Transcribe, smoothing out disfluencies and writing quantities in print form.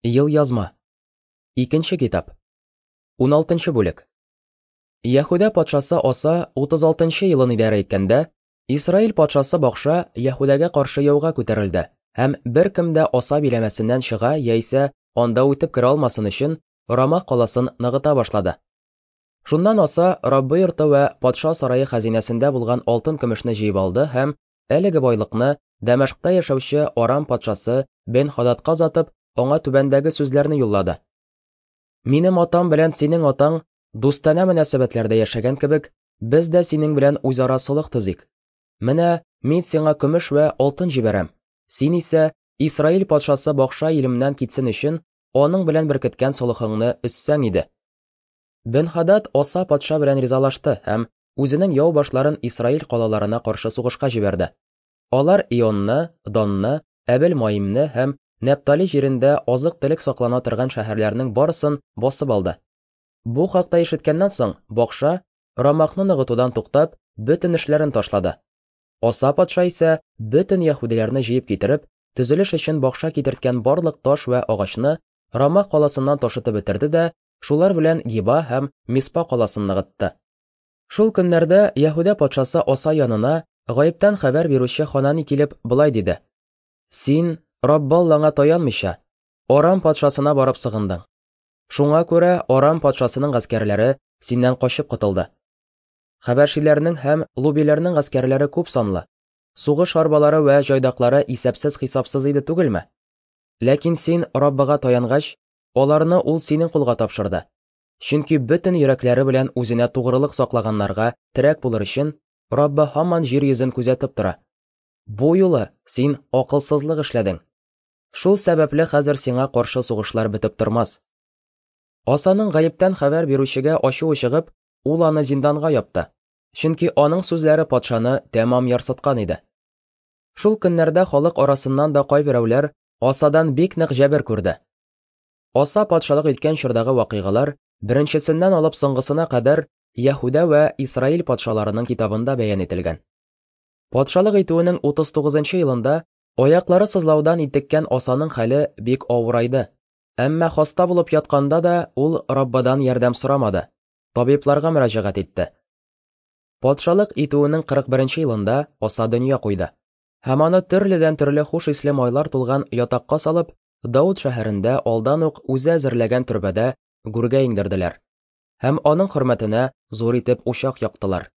Елъязма. Икенче китап. 16 бүлек. Яһүдә патшасы Аса 36 нчы елын идарә иткәндә, Исраил патшасы Бакша Яһүдәгә каршы яуга күтәрелде һәм беркем дә Аса биләмәсеннән чыга яисә анда үтеп керә алмасын өчен Рама каласын ныгыта башлады. Шуннан Аса Раббы йорты вә патша сарае хәзинәсендә булган алтын-көмешне җыеп алды һәм Әлеге байлыкны Дәмәшкъта яшәүче Арам патшасы Бен-Хададка озатып, аңа түбәндәге сүзләрне юллады. Минем атам белән синең атаң дустанә мөнәсәбәтләрдә яшәгән кебек, без дә синең белән үзара солых төзик. Менә мин сиңа көмеш вә алтын җибәрәм. Син исә Исраил патшасы Бакша илемнән китсен өчен аның белән беркеткән солыхыңны өзсәң иде. Бен-Хадад Аса патша белән ризалашты һәм үзенең яу башларын Исраил калаларына каршы сугышка җибәрде. Алар Ионны, Данны, Әбел-Маимне һәм Нәптали җирендә азык-төлек саклана торган шәһәрләрнең барысын басып алды. Бу хакта ишеткәннән соң, Бакша, Рамахны ныгытудан туктап, бөтен эшләрен ташлады. Аса патша исә, бөтен яһүдиләрне җыеп китереп, төзелеш өчен Бакша китерткән барлык таш вә агачны Рамах каласыннан ташытып бетерде дә, шулар белән Гиба һәм Миспа каласын ныгытты. Шул көннәрдә Яһүдә патшасы Аса янына гаептән хәбәр бирүче Ханани килеп, болай диде: Син, Раббаллаңа таянмыйча, Арам патшасына барып сыгындың. Шуңа күрә Арам патшасының гаскәрләре синнән качып котылды. Хәбәшиләрнең һәм лубиләрнең гаскәрләре күп санлы, сугыш арбалары вә җайдаклары исәпсез-хисапсыз иде түгелме? Ләкин син Раббыга таянгач, аларны ул синең кулга тапшырды. Чөнки бөтен йөрәкләре белән үзенә тугрылык саклаганнарга терәк булыр өчен, Раббы һаман җир йөзен күзәтеп тора. Бу юлы син акылсызлык эшләдең. Шул сәбәпле хәзер сиңа каршы сугышлар бетеп тормас. Асаның гаептән хәбәр бирүчегә ачуы чыгып, ул аны зинданга япты, чөнки аның сүзләре патшаны тәмам ярсыткан иде. Шул көннәрдә халык арасыннан да кайберәүләр Асадан бик нык җәбер күрде. Аса патшалык иткән чордагы вакыйгалар беренчесеннән алып соңгысына кадәр Яһүдә вә Исраил патшаларының китабында бәян ителгән. Патшалык итүенең 39 нчы елында аяклары сызлаудан интеккән Асаның хәле бик авырайды. Әмма хаста булып ятканда да ул Раббыдан ярдәм сорамады, табибларга мөрәҗәгать итте. Патшалык итүенең 41 нче елында Аса дөнья куйды. Һәм аны төрледән-төрле хуш исле майлар тулган ятакка салып, Дауд шәһәрендә алдан ук үзе әзерләгән төрбәдә гүргә иңдерделәр. Һәм аның хөрмәтенә зур итеп учак яктылар.